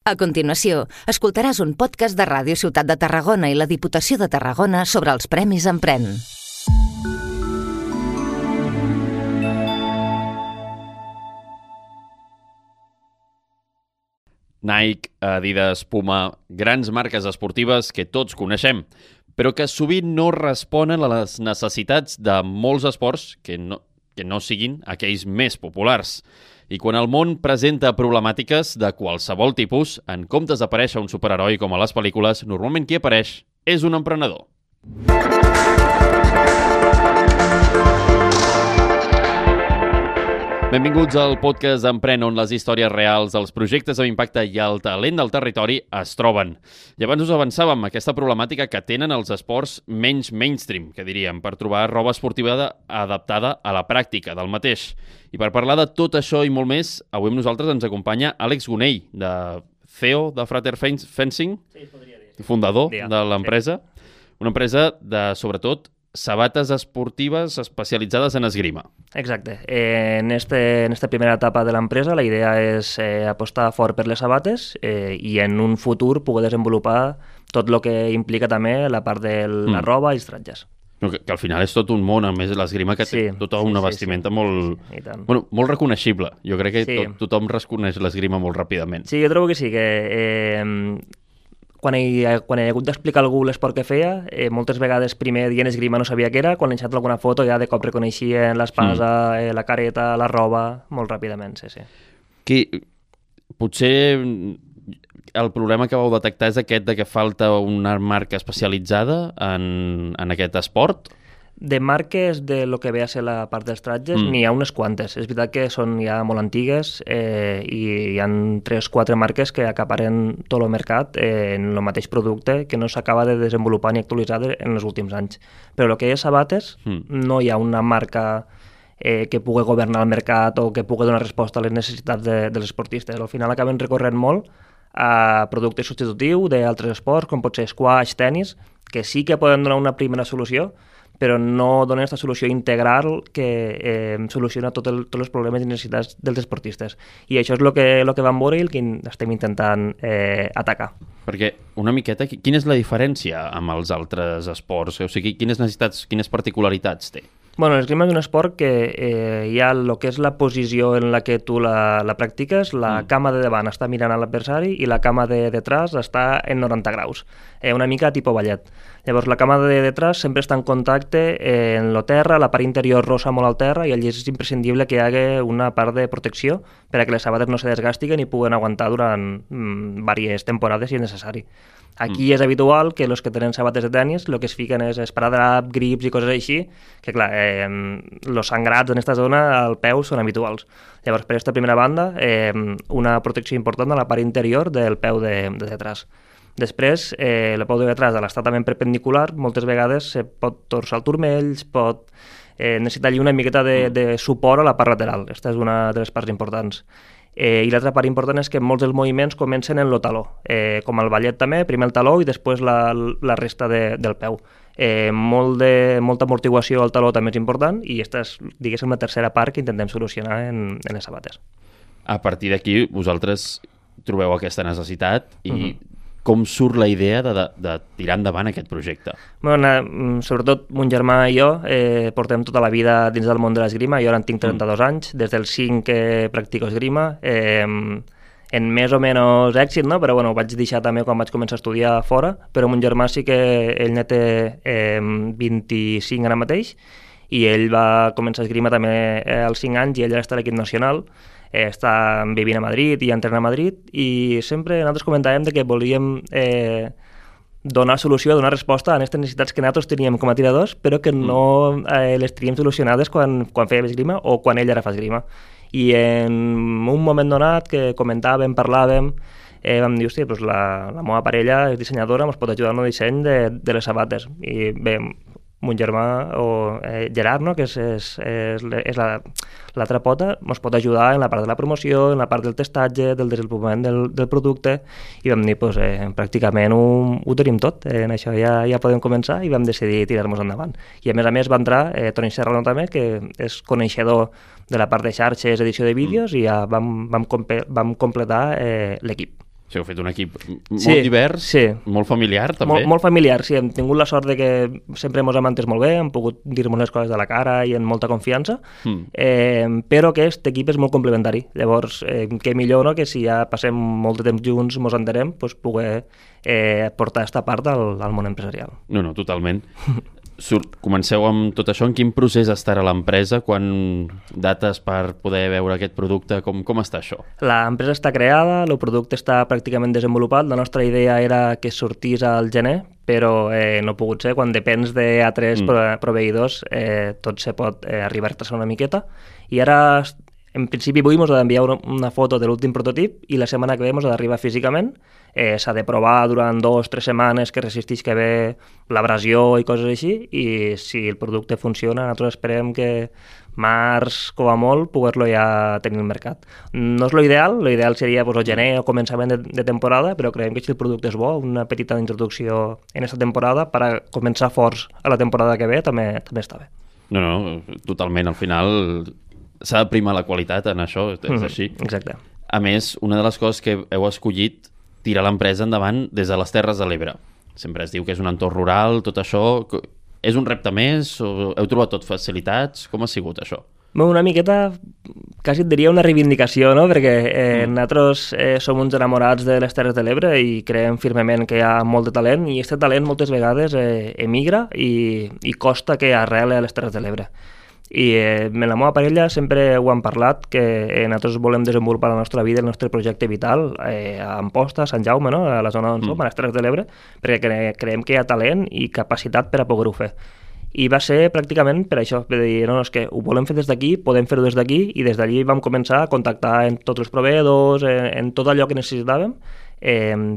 A continuació, escoltaràs un podcast de Ràdio Ciutat de Tarragona i la Diputació de Tarragona sobre els Premis Emprèn. Nike, Adidas, Puma, grans marques esportives que tots coneixem, però que sovint no responen a les necessitats de molts esports que no siguin aquells més populars. I quan el món presenta problemàtiques de qualsevol tipus, en comptes d'aparèixer un superheroi com a les pel·lícules, normalment qui apareix és un emprenedor. Benvinguts al podcast d'Emprèn, on les històries reals, els projectes amb impacte i el talent del territori es troben. I abans us avançàvem aquesta problemàtica que tenen els esports menys mainstream, que diríem, per trobar roba esportiva adaptada a la pràctica del mateix. I per parlar de tot això i molt més, avui amb nosaltres ens acompanya Àlex Gonell, de CEO de Frater Fencing, fundador de l'empresa, una empresa de, sobretot, sabates esportives especialitzades en esgrima. Exacte. En esta primera etapa de l'empresa la idea és apostar fort per les sabates i en un futur poder desenvolupar tot el que implica també la part de la roba i els tratges. Que al final és tot un món, a més l'esgrima que té tota una vestimenta molt reconeixible. Jo crec que tothom reconeix l'esgrima molt ràpidament. Sí, jo trobo que sí, que quan he hagut d'explicar a algú l'esport que feia, moltes vegades primer dient esgrima no sabia què era, quan he ensenyat alguna foto ja de cop reconeixien l'espasa, la careta, la roba, molt ràpidament, sí. Potser el problema que vau detectar és aquest de que falta una marca especialitzada en aquest esport? De marques de lo que ve a ser la part dels tratges, n'hi ha unes quantes. És veritat que són ja molt antigues i hi ha 3-4 marques que acaparen tot el mercat en el mateix producte que no s'acaba de desenvolupar ni actualitzar en els últims anys. Però el que és sabates, no hi ha una marca que pugui governar el mercat o que pugui donar resposta a les necessitats dels esportistes. Al final acaben recorrent molt a productes substitutius d'altres esports, com pot ser squash, tenis, que sí que poden donar una primera solució, però no donen aquesta solució integral que soluciona tots els problemes i necessitats dels esportistes. I això és el que vam veure i el que estem intentant atacar. Perquè una miqueta, quina és la diferència amb els altres esports? O sigui, quines necessitats, quines particularitats té? Bueno, l'esgrima és un esport que hi ha el que és la posició en la que tu la practiques, la cama de davant està mirant a l'adversari i la cama de detrás està en 90 graus, una mica tipus ballet. Llavors, la cama de detrás sempre està en contacte en la terra, la part interior rossa molt al terra i allí és imprescindible que hi hagi una part de protecció per a que les sabates no se desgastiguen i puguen aguantar durant diverses temporades si és necessari. Aquí és habitual que els que tenen sabates de tenis el que es fiquen és esparadrap, grips i coses així, que clar, els sangrats en aquesta zona al peu són habituals. Llavors, per aquesta primera banda, una protecció important a la part interior del peu de detrás. Després, el peu de detrás de l'estratament perpendicular, moltes vegades se pot torçar el turmell, pot necessitar una miqueta de suport a la part lateral. Aquesta és una de les parts importants. I l'altra part important és que molts dels moviments comencen en el taló, com el ballet també, primer el taló i després la resta del peu. Molta amortiguació al taló també és important i aquesta és, diguéssim, la tercera part que intentem solucionar en les sabates. A partir d'aquí, vosaltres trobeu aquesta necessitat i com surt la idea de tirar endavant aquest projecte? Bueno, sobretot mon germà i jo portem tota la vida dins del món de l'esgrima. Jo ara en tinc 32 anys, des dels 5 que practico esgrima, en més o menys èxit, no? Però bueno, ho vaig deixar també quan vaig començar a estudiar fora, però mon germà sí que ell ne té 25 ara mateix i ell va començar a esgrima també als 5 anys i ell ara està a l'equip nacional. Està vivint a Madrid i entrena a Madrid i sempre nosaltres comentàvem que volíem donar solució, donar resposta a aquestes necessitats que nosaltres teníem com a tiradors però que no les teníem solucionades quan fèiem esgrima o quan ell ara fa esgrima. I en un moment donat que comentàvem, parlàvem, vam dir, hòstia, doncs la meva parella és dissenyadora, ens pot ajudar en el disseny de les sabates. I bé, mon germà, o Gerard, no? Que és l'altra pota, ens pot ajudar en la part de la promoció, en la part del testatge, del desenvolupament del producte, i vam dir, doncs, pràcticament ho tenim tot, en això ja podem començar, i vam decidir tirar-nos endavant. I a més va entrar Toni Serrano també, que és coneixedor de la part de xarxes, edició de vídeos, i ja vam completar l'equip. Sí, heu fet un equip molt divers, molt familiar, també. Molt familiar, sí. Hem tingut la sort de que sempre ens hem entès molt bé, hem pogut dir-nos les coses de la cara i amb molta confiança, però aquest equip és molt complementari. Llavors, què millor, no?, que si ja passem molt de temps junts, ens entenem, doncs poder portar aquesta part al món empresarial. No, totalment. Comenceu amb tot això. En quin procés estarà l'empresa? Quan dates per poder veure aquest producte? Com està això? L'empresa està creada, el producte està pràcticament desenvolupat. La nostra idea era que sortís al gener, però no ha pogut ser. Quan depens d'altres proveïdors, tot se pot arribar a retrasar una miqueta. I ara, en principi, avui ens ha d'enviar una foto de l'últim prototip i la setmana que ve ens ha d'arribar físicament. S'ha de provar durant 2 o 3 setmanes que resisteix que bé l'abrasió i coses així, i si el producte funciona, nosaltres esperem que març, com a molt, poder-lo ja tenir al mercat. No és l'ideal seria el gener o començament de temporada, però creiem que si el producte és bo, una petita introducció en aquesta temporada per a començar forts a la temporada que ve també està bé. No, totalment. Al final s'ha de primar la qualitat en això, és així. Exacte. A més, una de les coses que heu escollit tirar l'empresa endavant des de les Terres de l'Ebre. Sempre es diu que és un entorn rural, tot això. És un repte més? O heu trobat tot facilitats? Com ha sigut això? Una miqueta, quasi et diria una reivindicació, no? Perquè nosaltres som uns enamorats de les Terres de l'Ebre i creiem firmement que hi ha molt de talent, i aquest talent moltes vegades emigra i costa que arrele a les Terres de l'Ebre. I amb la meva parella sempre ho hem parlat, que nosaltres volem desenvolupar la nostra vida, el nostre projecte vital a Amposta, a Sant Jaume, no?, a la zona on som, a les Terres de l'Ebre, perquè creiem que hi ha talent i capacitat per a poder-ho fer. I va ser pràcticament per això, de dir, no, és que ho volem fer des d'aquí, podem fer-ho des d'aquí, i des d'allí vam començar a contactar en tots els proveïdors, en tot allò que necessitàvem,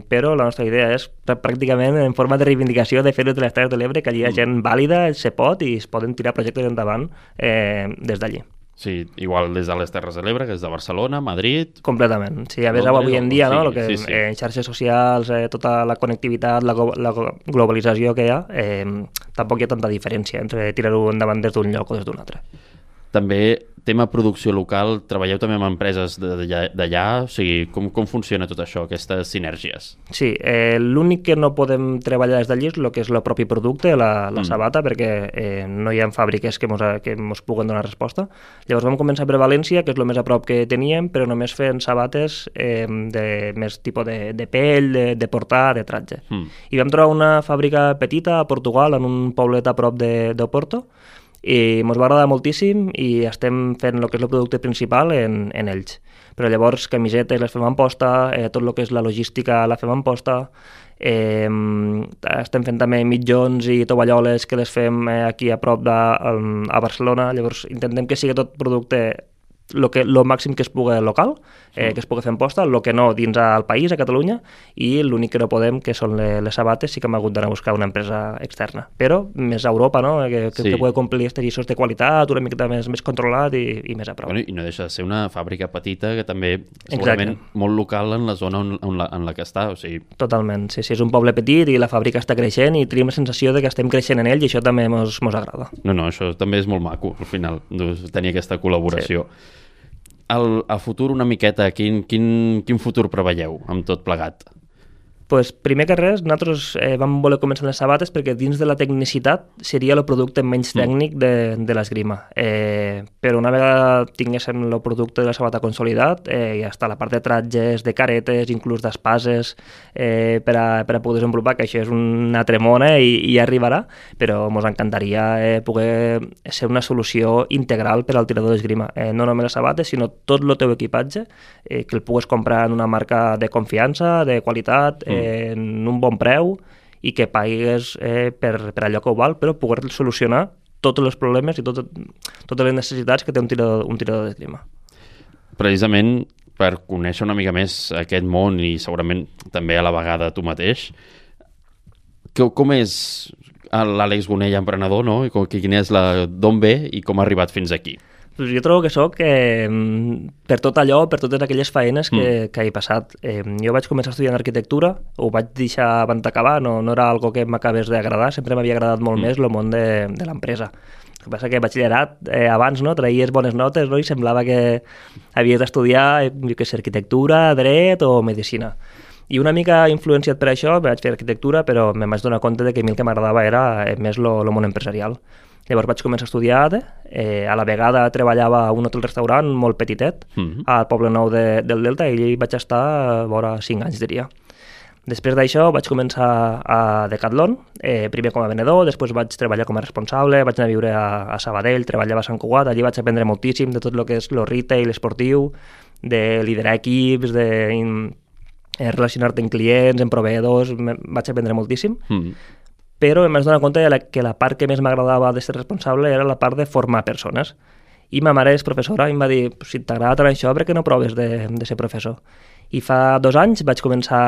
però la nostra idea és pràcticament en forma de reivindicació de fer-ho de les Terres de l'Ebre, que allí hi ha gent vàlida, se pot, i es poden tirar projectes endavant des d'allí. Sí, igual des de les Terres de l'Ebre, que és de Barcelona, Madrid... Completament. Sí, a més, avui en dia, no?, que en xarxes socials, tota la connectivitat, la globalització que hi ha, tampoc hi ha tanta diferència entre tirar-ho endavant des d'un lloc o des d'un altre. També, tema producció local, treballeu també amb empreses d'allà? O sigui, com funciona tot això, aquestes sinèrgies? Sí, l'únic que no podem treballar des d'allí és el que és el propi producte, la sabata, perquè no hi ha fàbriques que ens puguen donar resposta. Llavors vam començar per València, que és el més a prop que teníem, però només fent sabates de més tipus de pell, de portar, de tratge. I vam trobar una fàbrica petita a Portugal, en un poblet a prop d'Oporto, i ens va agradar moltíssim i estem fent el que és el producte principal en ells. Però llavors camisetes les fem en posta, tot el que és la logística la fem en posta, estem fent també mitjons i tovalloles que les fem aquí a prop a Barcelona. Llavors intentem que sigui tot producte el màxim que es pugui local, que es pugui fer en posta, el que no dins al país, a Catalunya, i l'únic que no podem, que són les sabates, sí que hem hagut d'anar a buscar una empresa externa. Però més a Europa, no?, que pugui complir aquests lliços de qualitat, una miqueta més controlat i més a prop. Bueno, i no deixa de ser una fàbrica petita que també segurament molt local en la zona en la que està. O sigui... Totalment, sí, és un poble petit i la fàbrica està creixent i tenim la sensació de que estem creixent en ell i això també ens agrada. No, això també és molt maco, al final, tenir aquesta col·laboració. Sí. A futur una miqueta, quin futur preveieu amb tot plegat? Pues, primer que res, nosaltres vam voler començar les sabates perquè dins de la tecnicitat seria el producte menys tècnic de l'esgrima. Però una vegada tinguéssim el producte de la sabata consolidat, ja està la part de tratges, de caretes, inclús d'espases, per a poder desenvolupar, que això és una tremona i ja arribarà, però ens encantaria poder ser una solució integral per al tirador d'esgrima. No només les sabates, sinó tot el teu equipatge, que el pugues comprar en una marca de confiança, de qualitat, en un bon preu i que pagues per allò que ho val, però poder solucionar tots els problemes i totes les necessitats que té un tirador d'esgrima. Precisament per conèixer una mica més aquest món i segurament també a la vegada tu mateix, com és l'Àlex Gonell emprenedor, no? D'on ve i com ha arribat fins aquí? Jo trobo que soc per tot allò, per totes aquelles feines que he passat. Jo vaig començar estudiant arquitectura, ho vaig deixar abans d'acabar, no era algo que m'acabés d'agradar, sempre m'havia agradat molt més el món de l'empresa. El que passa que batxillerat, abans traies bones notes, i semblava que havies d'estudiar arquitectura, dret o medicina. I una mica influenciat per això vaig fer arquitectura, però em vaig donar compte de que a mi el que m'agradava era més el món empresarial. Llavors vaig començar a estudiar ADE, a la vegada treballava a un hotel-restaurant molt petitet, al Poble Nou del Delta, i allà vaig estar vora 5 anys, diria. Després d'això vaig començar a Decathlon, primer com a venedor, després vaig treballar com a responsable, vaig anar a viure a Sabadell, treballava a Sant Cugat, allí vaig aprendre moltíssim de tot el que és el retail esportiu, de liderar equips, de relacionar-te amb clients, amb proveïdors, vaig aprendre moltíssim. Però em vaig donar compte que la part que més m'agradava de ser responsable era la part de formar persones. I ma mare és professora i em va dir, si t'agrada tant això, per què no proves de ser professor? I fa 2 anys vaig començar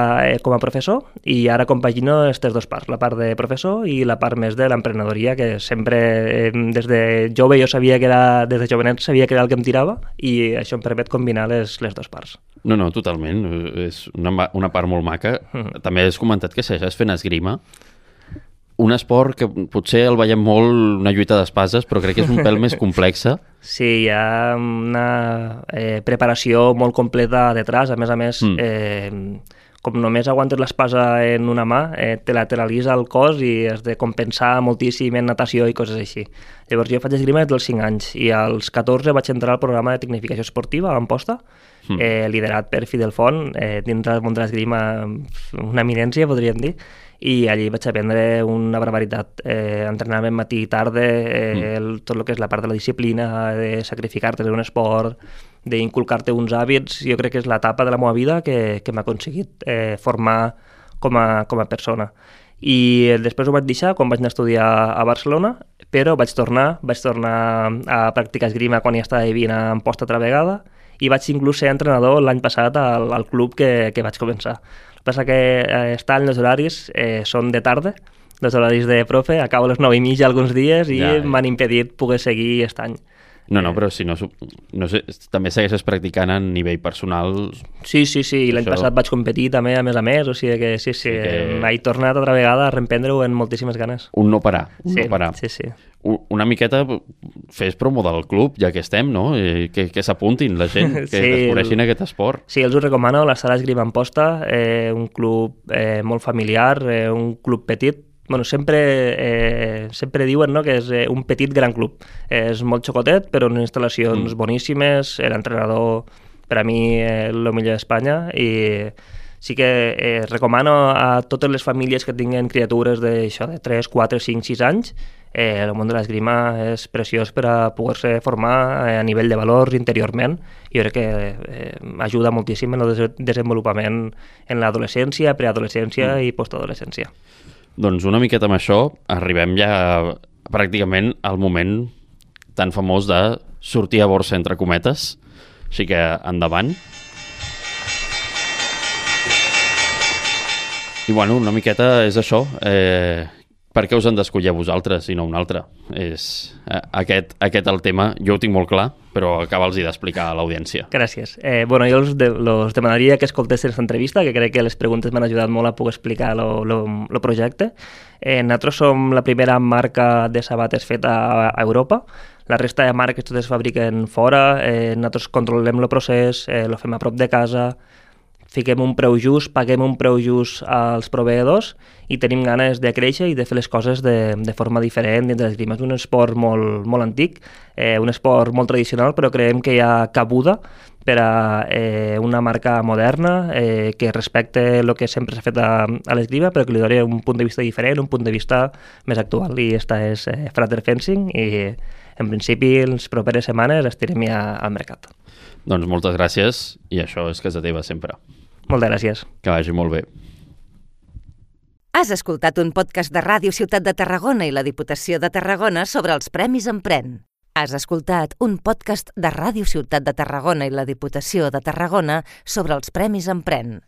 com a professor i ara compagino aquestes 2 parts, la part de professor i la part més de l'emprenedoria, que sempre des de jove jo sabia que era, des de jovenet sabia que era el que em tirava i això em permet combinar les 2 parts. No, totalment. És una part molt maca. També has comentat que segueixes fent esgrima. Un esport que potser el veiem molt una lluita d'espases, però crec que és un pèl més complexa. Sí, hi ha una preparació molt completa detrás. A més, com només aguantes l'espasa en una mà, te lateralitza el cos i has de compensar moltíssim en natació i coses així. Llavors jo faig esgrima des dels 5 anys i als 14 vaig entrar al programa de tecnificació esportiva a Amposta, liderat per Fidel Font, dins del món de l'esgrima una eminència, podríem dir, i allí vaig aprendre una barbaritat. Entrenament matí i tarda, tot el que és la part de la disciplina, de sacrificar-te en un esport, d'inculcar-te uns hàbits. Jo crec que és l'etapa de la meva vida que m'ha aconseguit formar com a persona. I després ho vaig deixar quan vaig anar a estudiar a Barcelona, però vaig tornar a practicar esgrima quan ja estava vivint a Amposta altra vegada i vaig inclús ser entrenador l'any passat al club que vaig començar. El que passa que estan els horaris, són de tarda, els horaris de profe, acabo a les 9:30 alguns dies i m'han impedit poder seguir aquest any. No, però si no sé, també segueixes practicant a nivell personal. Sí, l'any passat vaig competir també a més, o sigui que sí, m'he tornat altra vegada a reemprendre-ho amb moltíssimes ganes. Un no parar. Sí. Una miqueta fes promo del club, ja que estem, no? Que s'apuntin la gent, que descobreixin aquest esport. Sí, els ho recomano, la Sala Esgrima Amposta, un club molt familiar, un club petit. Bueno, sempre diuen, no, que és un petit gran club. És molt xocotet, però unes instal·lacions boníssimes, l'entrenador per a mi el millor d'Espanya, i sí que recomano a totes les famílies que tinguin criatures de 3, 4, 5, 6 anys. El món de l'esgrima és preciós per a poder-se formar a nivell de valors interiorment. Jo crec que ajuda moltíssim en el desenvolupament en l'adolescència, preadolescència i postadolescència. Doncs una miqueta amb això arribem ja pràcticament al moment tan famós de sortir a borsa entre cometes. Així que endavant. I bueno, una miqueta és això. Per què us han d'escollir a vosaltres i no un altre? És aquest el tema. Jo ho tinc molt clar, però acaba'ls-hi d'explicar a l'audiència. Gràcies. Bueno, jo els demanaria que escoltessin aquesta entrevista, que crec que les preguntes m'han ajudat molt a poder explicar el projecte. Nosaltres som la primera marca de sabates feta a Europa. La resta de marques totes es fabriquen fora. Nosaltres controlem el procés, el fem a prop de casa, fiquem un preu just, paguem un preu just als proveïdors i tenim ganes de créixer i de fer les coses de forma diferent dins de l'esgrima. És un esport molt antic, un esport molt tradicional, però creiem que hi ha cabuda per a una marca moderna que respecte el que sempre s'ha fet a l'esgrima, però que li doni un punt de vista diferent, un punt de vista més actual. I aquesta és Frater Fencing i en principi les properes setmanes estirem ja al mercat. Doncs moltes gràcies i això és casa teva sempre. Moltes gràcies. Que vagi molt bé. Has escoltat un podcast de Ràdio Ciutat de Tarragona i la Diputació de Tarragona sobre els Premis Emprèn. Has escoltat un podcast de Ràdio Ciutat de Tarragona i la Diputació de Tarragona sobre els Premis Emprèn.